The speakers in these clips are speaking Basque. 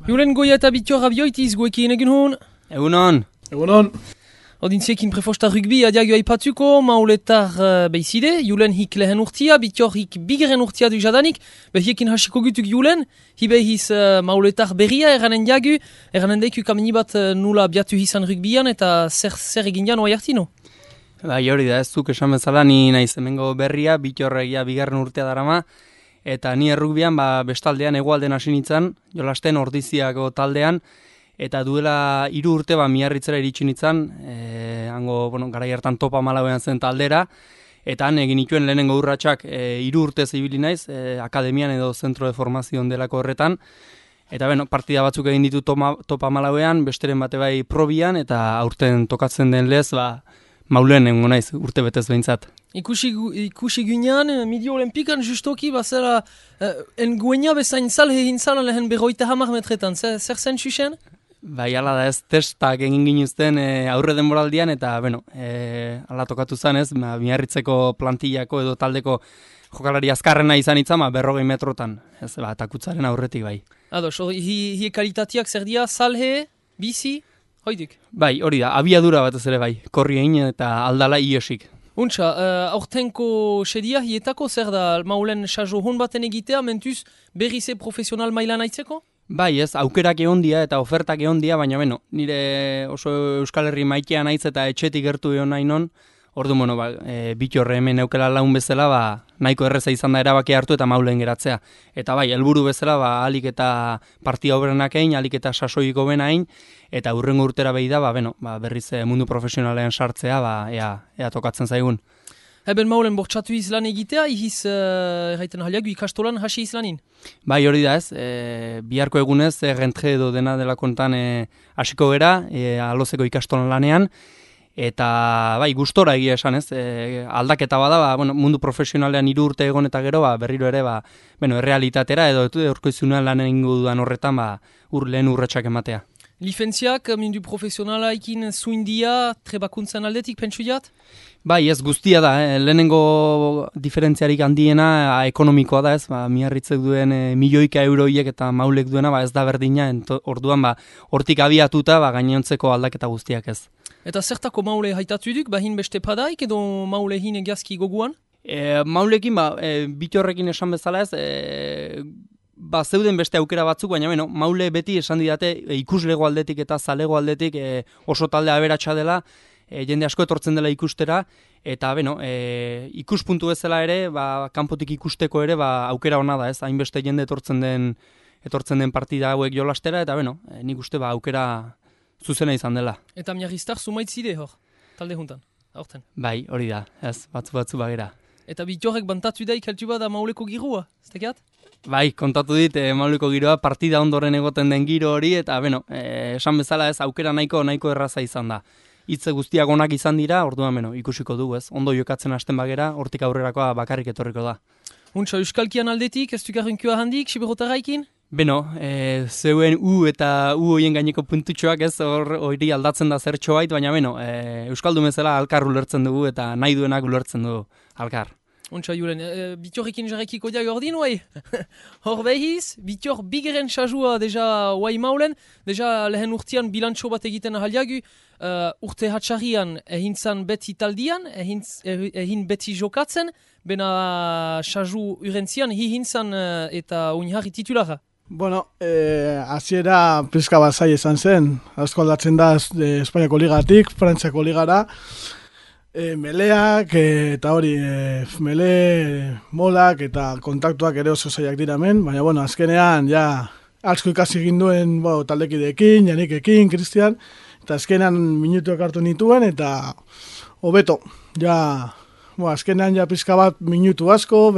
Julen Goia eta Bittor abioitiz guekin egin hon. Egunon. Egunon. Odintziekin prefosta rugbi adiago aipatuko, mauletar beizide, Julen hik lehen urtia, Bittor hik bigeren urtia du jadanik, behiekin hasiko gutuk Julen, hibehiz mauletar berria eranen diagu, eranen deiku kamini bat nula biatu hizan rugbian eta zer egin jan oai hartino. Bai, hori da, ez duk esan bezala, ni naiz hemengo berria, Bittor egia bigarren urtea darama, eta ni errugbian bestaldean hegoalden hasi nintzen, jolasten Ordiziako taldean, eta duela 3 urte Miarritzera iritsi nintzen, hango garai hartan Topa Malauean zen taldera, eta han egin nituen lehenengo urratsak 3 urte ibili naiz, akademian edo zentro de formazion delako horretan, eta partida batzuk egin ditu Topa Malauean, besteren bate bai probian, eta aurten tokatzen den lez, maulen egongo naiz, urte betez behintzat. Ikusi ginean, Midi Olimpikan justoki, bazera, enguenia bezain salhe egin zan lehen 50 metretan, zer zen xuxen? Bai, ala da ez, testak egin ginuzten aurre denboraldian, eta, ala tokatu zen ez, Miarritzeko plantillako edo taldeko jokalari azkarrena izan itzama, 40 metrotan, ez, takutzaren aurretik bai. Ados, hie kalitateak zer dia, salhe, bizi, hoidik? Bai, hori da, abiadura batez ere bai, korri egin eta aldala iosik. Untxa, aurtenko sedia hietako zer da maulen sajo hon baten egitea, mentuz berrize profesional mailan aitzeko? Bai ez, aukerak egon dia eta ofertak egon dia, baina nire oso Euskal Herri maitean naiz eta etxetik gertu egon nahi non, ordu Bittorre hemen eukela laun bezala, nahiko erreza izan da erabaki hartu eta maulen geratzea. Eta bai, helburu bezala, alik eta partia oberenak egin, alik eta sasoiko bena egin, eta hurrengo urtera behi da, berriz mundu profesionalean sartzea, ea tokatzen zaigun. Eben maulen bortxatu izlan egitea, ihiz erraiten haliagu ikastolan hasi izlanin? Bai, hori da ez, biharko egunez, rentre edo dena dela kontan hasiko gera, alozeko ikastolan lanean, eta bai, gustora egia esan ez, aldaketa bada, mundu profesionalean 3 urte egon eta gero, berriro ere, errealitatera edo eurkoizunean lan egingo dudan horretan, lehen urratsak ematea. Lifentziak, mundu profesionalaikin zuindia, trebakuntzan aldetik, pentsu jat? Bai, ez guztia da, lehenengo diferentziarik handiena ekonomikoa da ez, Miarritzek duen milioika euroiek eta maulek duena, ez da berdina, orduan hortik abiatuta, gainontzeko aldaketa guztiak ez. Eta zertako maule haitatu duk, hin beste padaik edo maule hin egiazki goguan? Maulekin, Bittorrekin esan bezala ez, zeuden beste aukera batzuk, baina maule beti esan didate ikuslego aldetik eta zalego aldetik oso talde aberatsa dela, jende asko etortzen dela ikustera, eta ikuspuntu bezala ere, kanpotik ikusteko ere, aukera hona da ez, hainbeste jende etortzen den partida hauek jolastera, eta nik uste aukera zuzena izan dela. Eta Miarriztar zumaitzide hor, talde juntan, aurten? Bai, hori da, ez, batzu bagera. Eta Bittorrek bantatu da ikaltu da mauleko girua, ez tekiat? Bai, kontatu dit, mauleko giroa, partida ondoren egoten den giro hori, eta esan bezala ez, aukera nahiko erraza izan da. Hitze guztiak onak izan dira, orduan ikusiko dugu ez, ondo jokatzen hasten bagera, hortik aurrerakoa bakarrik etorriko da. Untxa, Euskalkian aldetik, ez dukarrenkioa handik, Siberotarraikin? Zeuen eta horien gaineko puntutxoak ez, hori aldatzen da zertxo bait, baina Euskaldun bezala alkar ulertzen dugu eta nahi duenak ulertzen dugu alkar. Untxa, Julen, Bittorrekin jarrekiko diag ordin, oai? Hor behiz, Bittor bigeren sajua deja oai maulen, deja lehen urtean bilantxo bat egiten ahaliagu, urte hatxarrian ehintzan beti taldian, ehin beti jokatzen, bena saju urentzian hihintzan eta uniharri titulara. Hasiera pizka bat zai izan zen, asko aldatzen da Espainiako ligatik, Frantziako ligara, meleak eta hori, mele, molak eta kontaktuak ere oso zaiak dira hemen, baina azkenean asko ikasi egin duen taldekideekin, Janikekin, Kristian, eta azkenean minutuak hartu nituen eta hobeto, azkenean pizka bat minutu asko,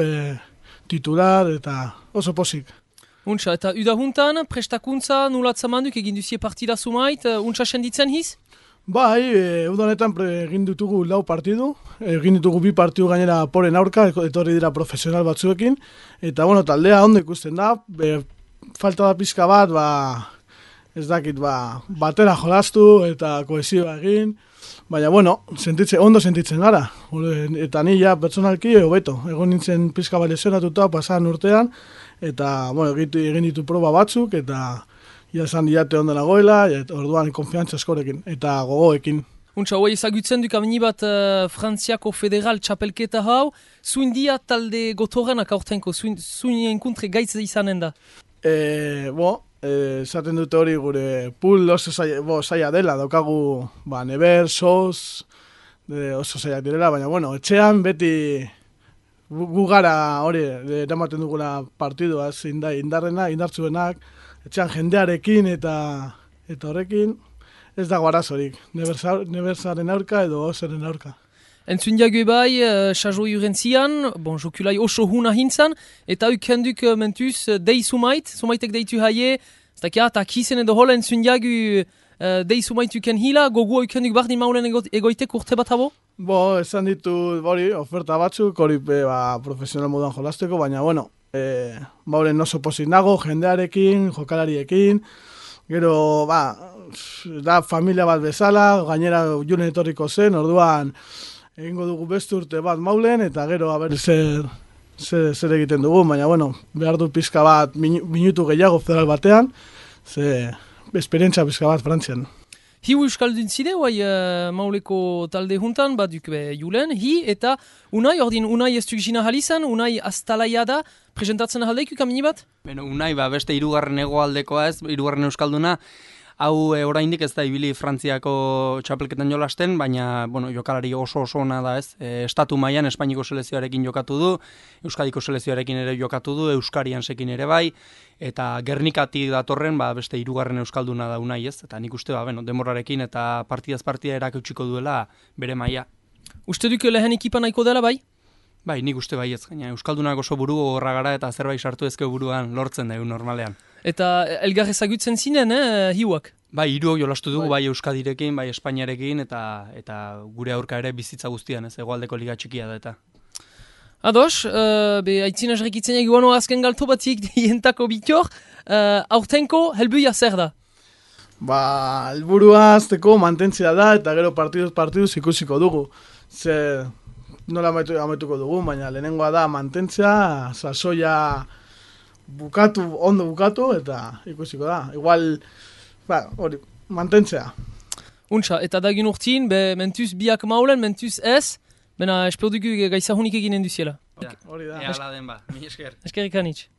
titular eta oso posik. Untxa, eta udahuntan, prestakuntza nulatzamanuk egin duzie partida zumait, untxa senditzen hiz? Bai, udanetan egin ditugu 4 partidu, egin ditugu 2 partidu gainera poren aurka, etorri dira profesional batzuekin, eta taldea ondo ikusten da, falta da pizka bat, ez dakit, batera jolastu eta kohesioa egin, baina ondo sentitzen gara, eta ni pertsonalki hobeto, egon nintzen pizka bat lesionatuta pasadan urtean, eta egin ditu proba batzuk, eta esan diate ondo nagoela, eta orduan konfiantza askorekin, eta gogoekin. Untsa, hoi ezagutzen duk amini bat Frantziako federal txapelketa hau, zuin dia talde gotorrenak aurtenko, zuin enkuntre gaitz izanen da. Esaten dute hori gure pool oso zaila dela, daukagu Neber, Sos, oso zailak direla, baina etxean beti gu gara hori eramaten dugula partidua, indartzuenak, etxean jendearekin eta horrekin ez dago arazorik, Nebersaren aurka edo Oseren aurka. Entzun jagu bai, Sajo Jurentzian, jokulai oso huna hintzan, eta ukenduk mentuz dei sumaitek deitu haie, eta kisen edo hola entzun jagu dei sumait uken hila, gogu ukenduk bardin maulen egoitek urte bat habo? Esan ditu oferta batzuk, hori profesional moduan jolasteko, baina maulen oso pozik nago, jendearekin, jokalariekin, gero, da familia bat bezala, gainera julen etorriko zen, orduan egingo dugu beste urte bat maulen, eta gero haber zer egiten dugu, baina behar du pizka bat minutu gehiago federal batean, esperientzia pizka bat Frantzian. Hiu euskaldun zide, mauleko talde juntan, baduk julen, eta Unai, ordin Unai ez duk jina halizan, Unai astalaia da, presentatzen ahaldeik kamini bat? Unai, beste hirugarren hegoaldekoa ez, hirugarren euskalduna, hau oraindik ez da ibili Frantziako txapelketan jolasten, baina jokalari oso ona da ez. Estatu mailan Espainiko selekzioarekin jokatu du, Euskadiko selekzioarekin ere jokatu du, Euskariansekin ere bai, eta Gernikatik datorren beste hirugarren euskalduna da Unai ez. Eta nik uste demorarekin eta partidaz partida erakutsiko duela bere maila. Uste duk lehen ekipa nahiko dela bai? Bai, nik uste bai ez. Euskaldunak oso buru gogorra gara eta zerbait sartu ezke buruan lortzen da normalean. Eta elgar ezagutzen zinen, hiuak? Bai, hiruok jolastu dugu, bai Euskadirekin, bai Espainiarekin, eta gure aurka ere bizitza guztian, ez hegoaldeko liga txikia da eta. Ados, aitzina jarrikitzen eguano azken galto batik dientako bitor, aurtenko helbuia zer da? Helburua azteko mantentzea da, eta gero partiduz ikusiko dugu. Nola amaituko dugu, baina lehenengoa da mantentzea, sasoia ondo bukatu, eta ikusiko da. Igual, hori, mantentzea. Untsa, eta dagin urtin, mentuz biak maulen, mentuz ez, bena esperdugu gaizahunik eginen duziela. Hori da. Ehala den mi esker. Eskerrik anitz.